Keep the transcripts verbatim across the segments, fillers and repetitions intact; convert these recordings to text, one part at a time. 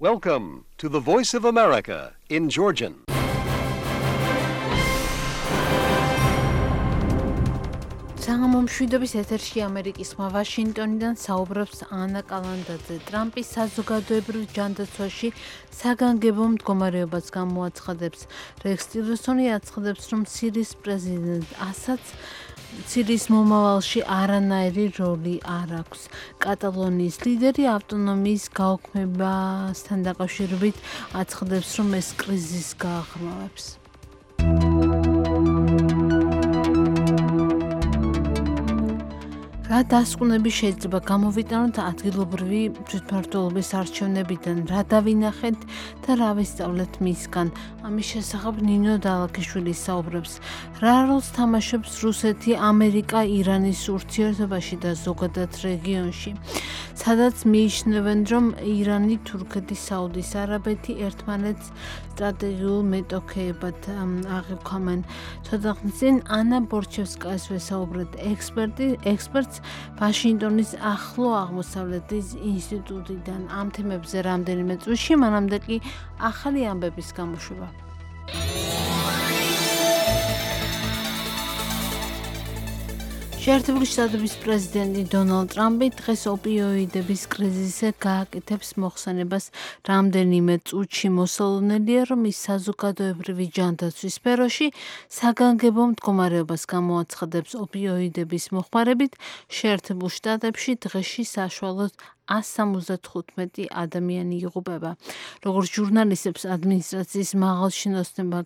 Welcome to the Voice of America in Georgian. საგამომშვიდობის ეთერში ამერიკის ხმა ვაშინგტონიდან საუბრობს ანა კალანდაძე. ტრამპის საზოგადოებრივ ჯანდაცვაში საგანგებო მდგომარეობას გამოაცხადებს. რექს ტილერსონი აცხადებს, რომ სირიის პრეზიდენტ ასადს სირიის მომავალში არანაირი როლი არ აქვს. კატალონიის ლიდერი ავტონომიის გაუქმებასთან დაკავშირებით აცხადებს, რომ ეს კრიზისს გააღრმავებს. რა დასკვნები შეიძლება გამოვიტანოთ ადგილობრივი თვითმმართველობის არჩევნებიდან, რა დავინახეთ და რა ვისწავლეთ მისგან. ამის შესახებ ნინო დალაქიშვილი საუბრობს. რა როლს თამაშობს რუსეთი, ამერიკა, ირანის ურთიერთობაში და ზოგადად რეგიონში. სადაც მიიჩნევენ, რომ ირანი, თურქეთი, საუდის არაბეთი ერთმანეთს სტრატეგიულ მეტოქეებად აღიქვამენ. ცოტა ხნის წინ ანა ბორჩევსკაის ვესაუბრეთ ექსპერტი, ექსპერტს ვაშინგტონის ახლო აღმოსავლეთის ინსტიტუტიდან. ამ თემებზე რამდენიმე წუთში, მანამდე კი ახალი ამბების გამოშვება. შეერთებული შტატების პრეზიდენტი დონალდ ტრამპი დღეს ოპიოიდების კრიზისზე გააკეთებს მოხსენებას რამდენიმე წუთში. მოსალოდნელია, რომ ის საზოგადოებრივი ჯანდაცვის სფეროში საგანგებო მდგომარეობას გამოაცხადებს. ოპიოიდების მოხმარებით შეერთებულ შტატებში დღეში საშუალოდ one seventy-five ადამიანი იღუპება. როგორც ჟურნალისტებს ადმინისტრაციის მაღალჩინოსნებმა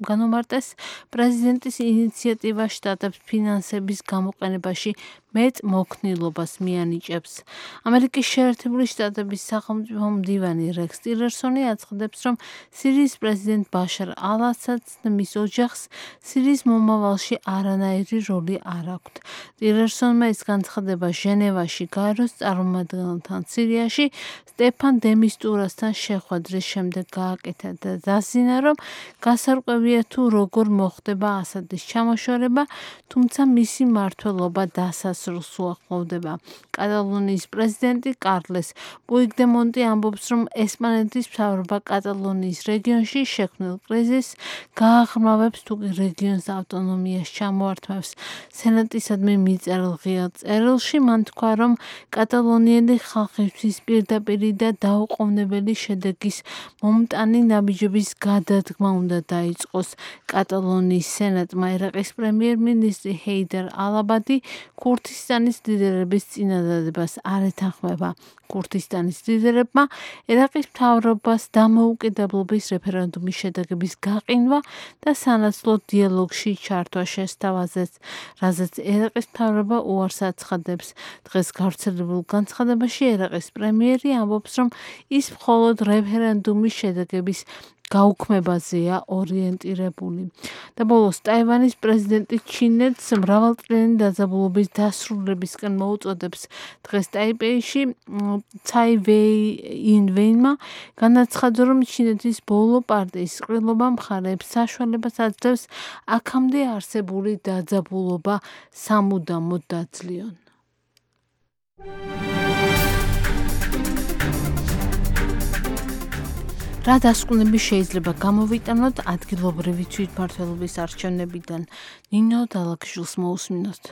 განუმარტეს, პრეზიდენტის ინიციატივა შტატებს ფინანსების გამოყენებაში მეტ მოქნილობას მიანიჭებს. ამერიკის შეერთებული შტატების სახელმწიფო მდივანი რექს ტილერსონი აცხადებს, რომ სირიის პრეზიდენტ ბაშარ ალ-ასადს და მის ოჯახს სირიის მომავალში არანაირი როლი არ აქვთ. ტილერსონმა ეს განცხადება ჟენევაში გაეროს წარმომადგენელთან სირიაში სტეფან დე მისტურასთან შეხვედრის შემდეგ გააკეთა და დასძინა, რომ გასარკვევია თუ როგორ მოხდება ასადის ჩამოშორება, თუმცა მისი მმართველობა დასასრულს უახლოვდება. კატალონიის პრეზიდენტი კარლეს პუიგდემონტი ამბობს, რომ ესპანეთის მთავრობა კატალონიის რეგიონში შექმნილ კრიზისს გააღრმავებს, თუ კი რეგიონს ავტონომიას ჩამოართმევს. სენატისადმი მიწერილ ღია წერილში მან თქვა, რომ კატალონიელი ხალხისთვის პირდაპირი და დაუყოვნებელი შედეგის მომტანი ნაბიჯების გადადგმა უნდა დაიწყოს. კატალონიის სენატმა ერაყის პრემიერ-მინისტრი ჰეიდარ ალ-აბადი ქურთისტანის ლიდერების წინადადებას არ ეთანხმება. ქურთისტანის ლიდერებმა ერაყის მთავრობას დამოუკიდებლობის რეფერენდუმის შედეგების გაყინვა და სანაცვლო დიალოგში ჩართვა შესთავაზეს, რაზეც ერაყის მთავრობა უარს აცხადებს. დღეს გავრცელებულ განცხადებაში ერაყის პრემიერი ამბობს, რომ ის მხოლოდ რეფერენდუმის შედეგების გაუქმებაზეა ორიენტირებული. და ბოლოს ტაივანის პრეზიდენტი ჩინეთს მრავალწლიანი დაძაბულობის დასრულებისკენ მოუწოდებს. დღეს ტაიპეიში ცაი ვეინვეინმა განაცხადა, რომ ჩინეთის ბოლო პარტიის ყრილობა მხარეებს საშუალებას აძლევს აქამდე არსებული დაძაბულობა სამუდამოდ დაძლიონ. რა დასკვნები შეიძლება გამოვიტანოთ ადგილობრივი თვითმმართველობის არჩევნებიდან? ნინო დალაქიშვილს მოусმინოთ.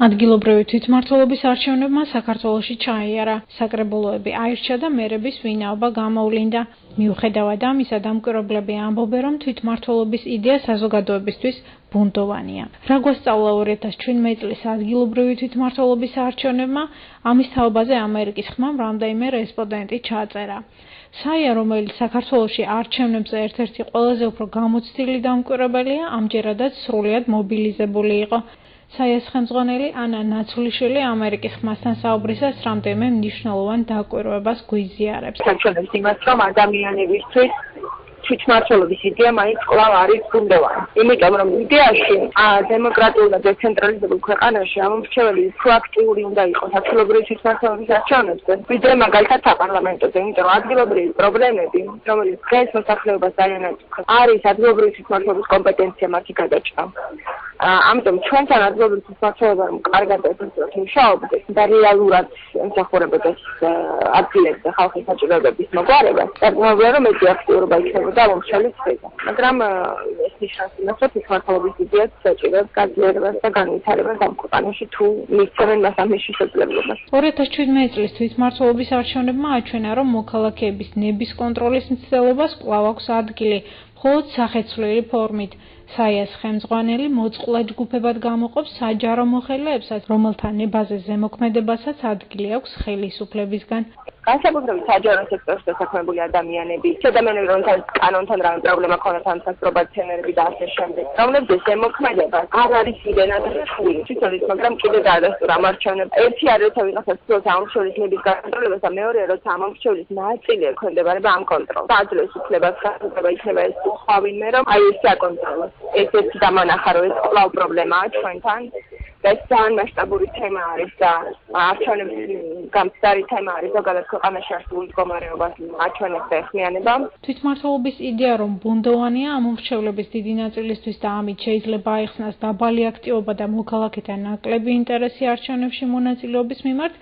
ადგილობრივი თვითმმართველობის არჩევნებმა საქართველოში ჩაიარა. საკრებულოები აირჩა და მერების ვინაობა გამოვლინდა. მიუხედავად ამისა, დამკვირვებლები ამბობენ, რომ თვითმმართველობის იდეა საზოგადოებისთვის ბუნდოვანია. რა გვასწავლა ორი ათას ჩვიდმეტი წლის ადგილობრივი თვითმმართველობის არჩევნებმა? ამის თაობაზე ამერიკის ხმამ რამდენიმე რესპონდენტი ჩაწერა. საია, რომელიც საქართველოში არჩევნებზე ერთ-ერთი ყველაზე უფრო გამოცდილი დამკვირვებელია, ამჯერადაც სრულიად მობილიზებული იყო. საიას ხელმძღვანელი ანა ნაცვლიშვილი ამერიკის ხმასთან საუბრისას რამდენიმე მნიშვნელოვან დაკვირვებას გვიზიარებს. საჩვენებს იმას, რომ ადამიანებისთვის თვითმმართველობის იდეა მაინც კვლავ არის გუნდოვანი. იმიტომ რომ იდეაში დემოკრატიულ და დეცენტრალიზებულ ქვეყანაში ამომრჩეველი უფრო აქტიური უნდა იყოს ადგილობრივი თვითმმართველობის არჩევნებზე, ვიდრე მაგალითად საპარლამენტოზე, იმიტომ რომ ადგილობრივი პრობლემები, რომელიც დღეს მოსახლეობას ძალიან აწუხებს, არის ადგილობრივი თვითმმართველობის კომპეტენცია მათი გადაჭრა. ამიტომ ჩვენთან ადგილობრივი თვითმმართველობა რომ კარგად ეფექტურად მუშაობდეს და რეალურად ემსახურებოდეს ადგილებზე ხალხის საჭიროებების მოგვარებას, დაგმოვია რომ მეტი აქტიურობა იქნებოდა მომხმარებლის მხრიდან. მაგრამ ეს ნიშნავს იმას, რომ თვითმმართველობის იდეაც საჭიროებს გაძლიერებას და განვითარებას ამ ქვეყანაში თუ მისცემენ მას ამ შესაძლებლობას. ორი ათას შვიდმეტი წლის თვითმმართველობის არჩევნებმა აჩვენა, რომ მოქალაქეების ნების კონტროლის მცდელობას კვლავ აქვს ადგილი, მხოლოდ სახეცვლილი ფორმით. საიას ხელმძღვანელი მოწყლა ჯგუფებად გამოყოფს საჯარო მოხელეებსაც, რომელთა ნებაზე ზემოქმედებასაც ადგილი აქვს ხელისუფლებისგან. განსაკუთრებით საჯარო სექტორში დასაქმებული ადამიანები, ადამიანები, რომელთაც კანონთან რამე პრობლემა ქონათ, ან საპრობაციონერები და ასე შემდეგ, რომლებზეც ზემოქმედება არ არის იდენად რთული. თვითონ ის, მაგრამ კიდე დაადასტურა ამ არჩევნებს. ერთი არის, როცა ვიღაცას ცდილობს ამომრჩევლის ნების გაკონტროლებას და მეორეა, როცა ამომრჩევლის ნაწილი ექვემდებარება ამ კონტროლს. აძლევს უფლებას გასაგება იქნება ეს სხვა ვინმე, რომ აი ეს აკონტროლოს. ესეც დამანახა, რომ ეს კვლავ პრობლემაა ჩვენთან. ეს ძალიან მასშტაბური თემა არის და არჩევნების გამწდარი თემა არის ზოგადად ქვეყანაში არსებული მდგომარეობას აჩვენებს და ეხმიანება. თვითმმართველობის იდეა, რომ ბუნდოვანია ამომრჩევლების დიდი ნაწილისთვის და ამით შეიძლება აიხსნას დაბალი აქტივობა და მოქალაქეთა ნაკლები ინტერესი არჩევნებში მონაწილეობის მიმართ,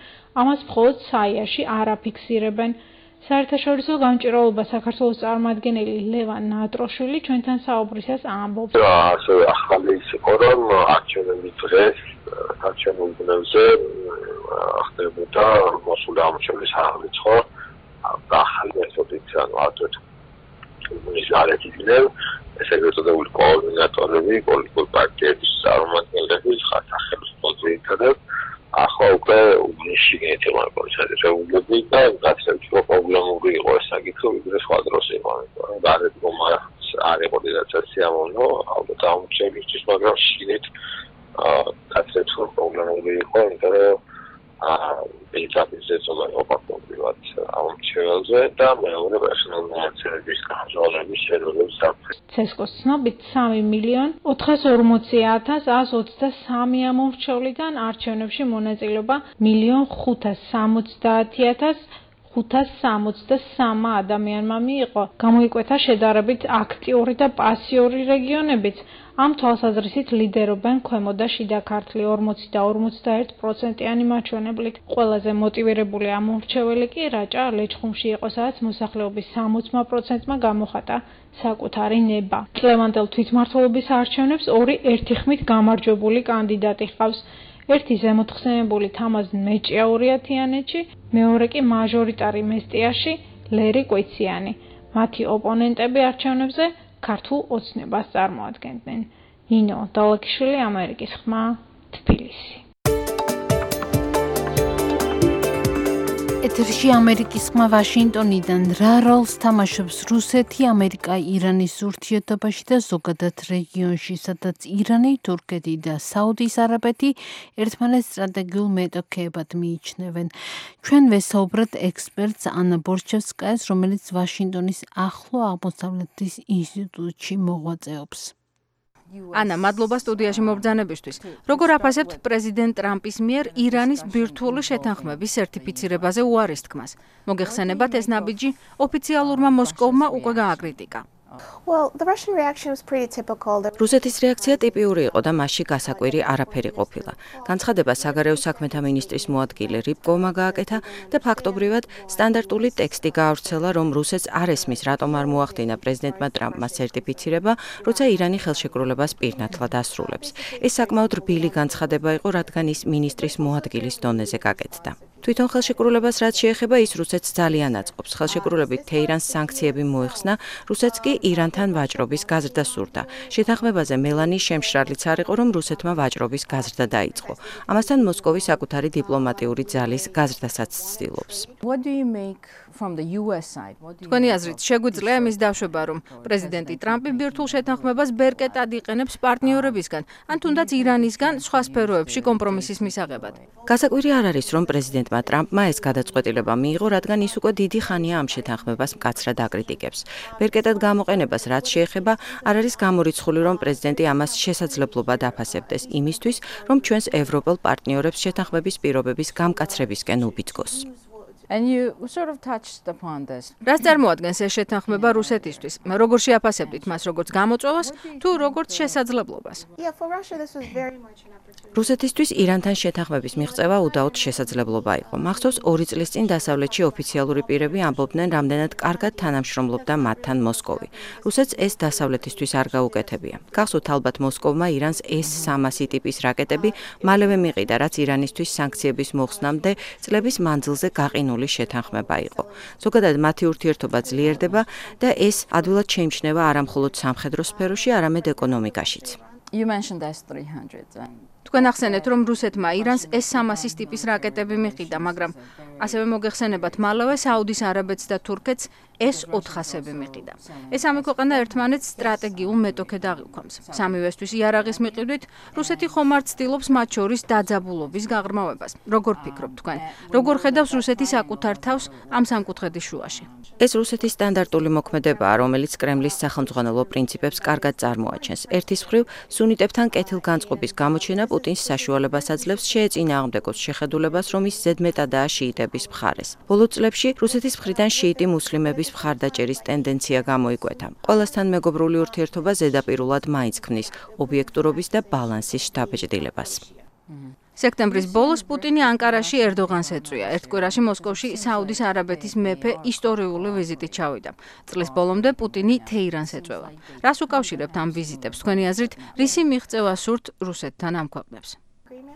ამას მხოლოდ საიაში არ აფიქსირებენ. საერთაშორისო გამჭირვალობა საქართველოს წარმომადგენელი ლევან ნატროშვილი ჩვენთან საუბრისას ამბობს. ასევე ახალი იყო, რომ არჩევნები დღეს არჩევნულ ბუნებაზე ხდებოდა მოსული ამორჩევლის აღრიცხვა და ახალი მეთოდით, ანუ ატვეთ ის არის იდნენ ეს ეგრეთ წოდებული კოორდინატორები, პოლიტიკური პარტიების წარმომადგენლები, სახელმწიფო ძირითადად ახლა უკვე უნიშნეთ მოიწყებები და გაცემთ რომ პრობლემური იყო ეს საკითხი, ვიდრე სხვა დროს იყო. გარეგნობა არ იყო დედაცაც სიამოვნო, ალბათ ამორჩევლისთვის, მაგრამ შინით გაცემთ რომ პრობლემური იყო, იმიტომ რომ ბიჭაპიზეც უნდა ოპაკობრივად ამორჩეველზე და მეორე პერსონალურ მონაცემების გამჟღავნების შედეგებს საფრთხე. ცესკოს ცნობით სამი მილიონი ოთხას ორმოცი ათას ათს ოცდასამი ამორჩევლიდან არჩევნებში მონაწილეობა მილიონ ხუთას სამოცდაათი ათას ხუთას სამოცდასამი ადამიანმა მიიღო. გამოიკვეთა შედარებით აქტიური და პასიური რეგიონებიც. ამ თვალსაზრისით ლიდერობენ ქვემო და შიდა ქართლი ორმოცი და ორმოცდაერთი პროცენტიანი მაჩვენებლით. ყველაზე მოტივირებული ამორჩეველი კი რაჭა ლეჩხუმში იყო, სადაც მოსახლეობის სამოცი პროცენტმა გამოხატა საკუთარი ნება. წლევანდელ თვითმმართველობის არჩევნებს ორი ერთიხმით გამარჯვებული კანდიდატი ჰყავს. ერთი ზემოთხსენებული თამაზ მეჭიაურია თიანეთში, მეორე კი მაჟორიტარი მესტიაში ლერი კვიციანი. მათი ოპონენტები არჩევნებზე ქართულ ოცნებას წარმოადგენდნენ. ნინო დალაკიშვილი, ამერიკის ხმა, თბილისი. ეთერში ამერიკის ხმა ვაშინტონიდან. რა როლს თამაშობს რუსეთი, ამერიკა, ირანის ურთიერთობაში და ზოგადად რეგიონში, სადაც ირანი, თურქეთი და საუდის არაბეთი ერთმანეთს სტრატეგიულ მეტოქეებად მიიჩნევენ. ჩვენ ვესაუბრეთ ექსპერტს ანა ბორჩევსკაიას, რომელიც ვაშინტონის ახლო აღმოსავლეთის ინსტიტუტში მოღვაწეობს. ანა, მადლობა სტუდიაში მობრძანებისთვის. როგორ აფასებთ პრეზიდენტ ტრამპის მიერ ირანის ბირთვული შეთანხმების სერტიფიცირებაზე უარის თქმას? მოგეხსენებათ ეს ნაბიჯი ოფიციალურმა მოსკოვმა უკვე გააკრიტიკა. რუსეთის რეაქცია ტიპიური იყო და მასში გასაკვირი არაფერი ყოფილა. განცხადება საგარეო საქმეთა მინისტრის მოადგილე რიბკოვმა გააკეთა და ფაქტობრივად სტანდარტული ტექსტი გაავრცელა, რომ რუსეთს არ ესმის, რატომ არ მოახდინა პრეზიდენტმა ტრამპმა სერტიფიცირება, როცა ირანი ხელშეკრულებას პირნათლად ასრულებს. ეს საკმაოდ რბილი განცხადება იყო, რადგან ის მინისტრის მოადგილის დონეზე გაკეთდა. თვითონ ხელშეკრულებას რაც შეეხება, ის რუსეთს ძალიან აწყობს. ხელშეკრულებით თეირანს სანქციები მოიხსნა, რუსეთს კი ირანთან ვაჭრობის გაზრდა სურდა. შეთანხმებაზე მელანის შემშრალიც არ იყო, რომ რუსეთმა ვაჭრობის გაზრდა დაიწყო. ამასთან მოსკოვი საკუთარი დიპლომატიური ძალის გაზრდასაც ცდილობს. თქვენი აზრით, შეგვიძლია იმის დაშვება, რომ პრეზიდენტი ტრამპი ბირთვულ შეთანხმებას ბერკეტად იყენებს პარტნიორებისგან, ან თუნდაც ირანისგან სხვა სფეროებში კომპრომისის მისაღებად? გასაკვირი არ არის, რომ პრეზიდენტ პრეზიდენტმა ტრამპმა ეს გადაწყვეტილება მიიღო, რადგან ის უკვე დიდი ხანია ამ შეთანხმებას მკაცრად აკრიტიკებს. ბერკეტად გამოყენებას რაც შეეხება, არ არის გამორიცხული, რომ პრეზიდენტი ამას შესაძლებლობა დაფასებდეს იმისთვის, რომ ჩვენს ევროპელ პარტნიორებს შეთანხმების პირობების გამკაცრებისკენ უბიძგოს. And you sort of touched upon this. რას წარმოადგენს ეს შეთანხმება რუსეთისთვის? როგორ შეაფასებდით მას, როგორც გამოწვევას, თუ როგორც შესაძლებლობას? Yeah, for Russia this was very much an opportunity. რუსეთისთვის ირანთან შეთანხმების მიღწევა უდაოდ შესაძლებლობა იყო. მახსოვს ორი წლის წინ დასავლეთში ოფიციალური პირები ამბობდნენ, რამდენად კარგად თანამშრომლობდა მათთან მოსკოვი. რუსეთს ეს დასავლეთისთვის არ გაუკეთებია. გახსოვთ ალბათ მოსკოვმა ირანს ეს სამასი ტიპის რაკეტები მალევე მიყიდა, რაც ირანისთვის სანქციების მოხსნამდე წლების მანძილზე გაყინული შეთანხმება იყო. ზოგადად მათი ურთიერთობა ძლიერდება და ეს ადვილად შეიმჩნევა არა მხოლოდ სამხედრო სფეროში, არამედ ეკონომიკაშიც. You mentioned S three hundred. თქვენ ახსენეთ, რომ რუსეთმა ირანს ეს სამასის ტიპის რაკეტები მიყიდა, მაგრამ ასევე მოგეხსენებათ მალევე საუდის არაბეთს და თურქეთს S four hundred-ები მიყიდა. ეს სამი ქვეყანა ერთმანეთს სტრატეგიულ მეტოქედ აღიქვამს. სამივესთვის იარაღის მიყიდვით, რუსეთი ხომ არ ცდილობს მათ შორის დაძაბულობის გაღრმავებას. როგორ ფიქრობთ თქვენ? როგორ ხედავს რუსეთი საკუთარ თავს ამ სამკუთხედის შუაში? ეს რუსეთის სტანდარტული მოქმედებაა, რომელიც კრემლის სახელმძღვანელო პრინციპებს კარგად წარმოაჩენს. ერთის მხრივ, სუნიტებთან კეთილგანწყობის გამოჩენა პუტინს საშუალებას აძლევს შეეწინააღმდეგოს შეხედულებას, რომ ის ზედმეტადაა შიიტების მხარეს. ბოლო წლებში რუსეთის მხრიდან შიიტი მუსლიმების მხარდაჭერის ტენდენცია გამოიკვეთა. ყველასთან მეგობრული ურთიერთობა ზედაპირულად მაინც ქმნის ობიექტურობის და ბალანსის შთაბეჭდილებას. სექტემბრის ბოლოს პუტინი ანკარაში ერდოღანს ეწვია. ერთ კვირაში მოსკოვში საუდის არაბეთის მეფე ისტორიული ვიზიტით ჩავიდა. წლის ბოლომდე პუტინი თეირანს ეწვევა. რას უკავშირებთ ამ ვიზიტებს? თქვენი აზრით, რისი მიღწევა სურთ რუსეთთან ამ ქვეყნებს?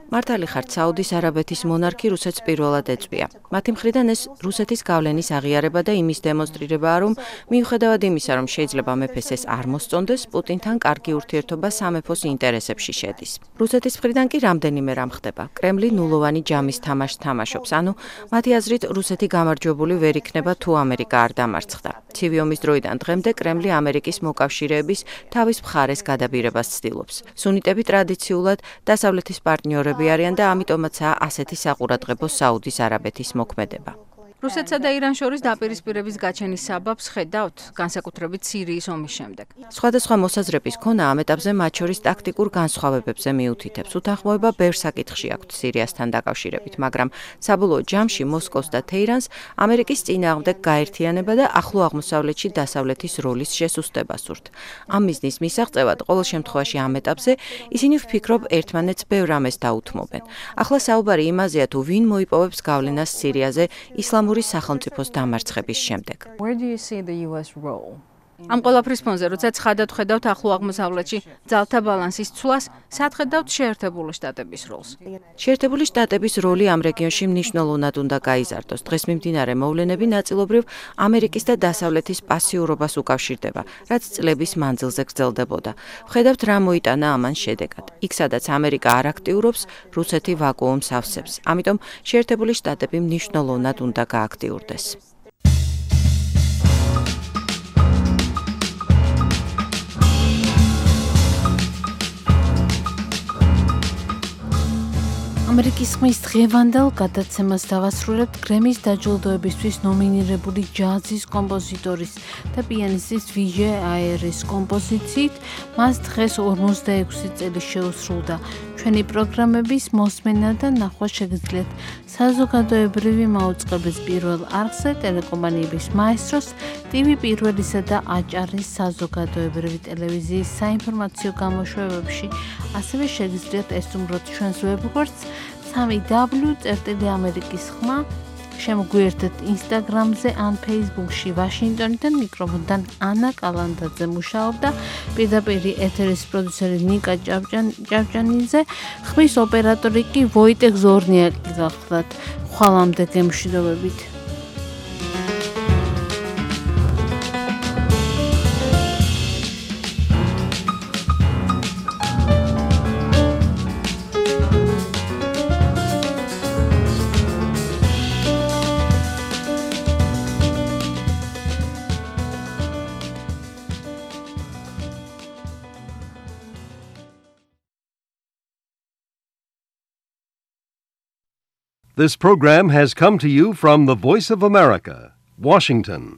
მართალი ხართ, საუდის არაბეთის მონარქი რუსეთს პირველად ეწვია. მათი მხრიდან ეს რუსეთის გავლენის აღიარება და იმის დემონსტრირებაა, რომ მიუხედავად იმისა, რომ შეიძლება მეფეს ეს არ მოსწონდეს, პუტინთან კარგი ურთიერთობა სამეფოს ინტერესებში შედის. რუსეთის მხრიდან კი რამდენიმე რამ ხდება. კრემლი ნულოვანი ჯამის თამაშს თამაშობს, ანუ მათი აზრით რუსეთი გამარჯვებული ვერ იქნება თუ ამერიკა არ დამარცხდა. ცივი ომის დროიდან დღემდე კრემლი ამერიკის მოკავშირეების თავის მხარეს გადაბირებას ცდილობს. სუნიტები ტრადიციულად დასავლეთის პარტნიორები არიან და ამიტომაცაა ასეთი საყურადღებო საუდის არაბეთის მოქმედება. რუსეთსა და ირანს შორის დაპირისპირების გაჩენის საბაბს ხედავთ, განსაკუთრებით სირიის ომის შემდეგ. სხვადასხვა მოსაზრების ქონა ამ ეტაპზე მათ შორის ტაქტიკურ განსხვავებებზე მიუთითებს. უთანხმოება ბევრ საკითხში აქვთ სირიასთან დაკავშირებით, მაგრამ საბოლოო ჯამში მოსკოვს და თეირანს ამერიკის წინააღმდეგ გაერთიანება და ახლო აღმოსავლეთში დასავლეთის როლის შესუსტება სურთ. ამ მიზნის მისაღწევად ყოველ შემთხვევაში ამ ეტაპზე ისინი ვფიქრობ ერთმანეთს ბევრ რამეს დაუთმობენ. ახლა საუბარი იმაზეა, თუ ვინ მოიპოვებს გავლენას სირიაზე ისლამური სახელმწიფოს დამარცხების შემდეგ. Where do you see the U S role? ამ ყველაფრის ფონზე, როცა ცხადად ხედავთ ახლო აღმოსავლეთში ძალთა ბალანსის ცვლას, სად ხედავთ შეერთებული შტატების როლს? შეერთებული შტატების როლი ამ რეგიონში მნიშვნელოვნად უნდა გაიზარდოს. დღეს მიმდინარე მოვლენები ნაწილობრივ ამერიკის და დასავლეთის პასიურობას უკავშირდება, რაც წლების მანძილზე გრძელდებოდა. ვხედავთ რა მოიტანა ამან შედეგად. იქ, სადაც ამერიკა არ აქტიურობს, რუსეთი ვაკუუმს ავსებს. ამიტომ შეერთებული შტატები მნიშვნელოვნად უნდა გააქტიურდეს. ამერიკის ხმის დღევანდელ გადაცემას დავასრულებთ გრემის დაჯილდოებისთვის ნომინირებული ჯაზის კომპოზიტორის და პიანისტის ვიჟე აერის კომპოზიციით. მას დღეს ორმოცდაექვსი წელი შეუსრულდა. ჩვენი პროგრამების მოსმენა და ნახვა შეგიძლიათ საზოგადოებრივი მაუწყებლის პირველ არხზე, ტელეკომპანიების მაესტროს, ტივი პირველისა და აჭარის საზოგადოებრივი ტელევიზიის საინფორმაციო გამოშვებებში. ასევე შეგიძლიათ ესტუმროთ ჩვენს ვებგვერდს სამი დაბლიუ წერტილი ამერიკის ხმა. შემოგვიერთეთ ინსტაგრამზე ან ფეისბუქში. ვაშინგტონიდან მიკროფონთან ანა კალანდაძე მუშაობდა, პირდაპირ ეთერის პროდიუსერი ნიკა ჭავჭანიძე, ხმის ოპერატორი კი ვოიტეხ ზორნიაკი გახლდათ. ხვალამდე გემშვიდობებით. This program has come to you from the Voice of America, Washington.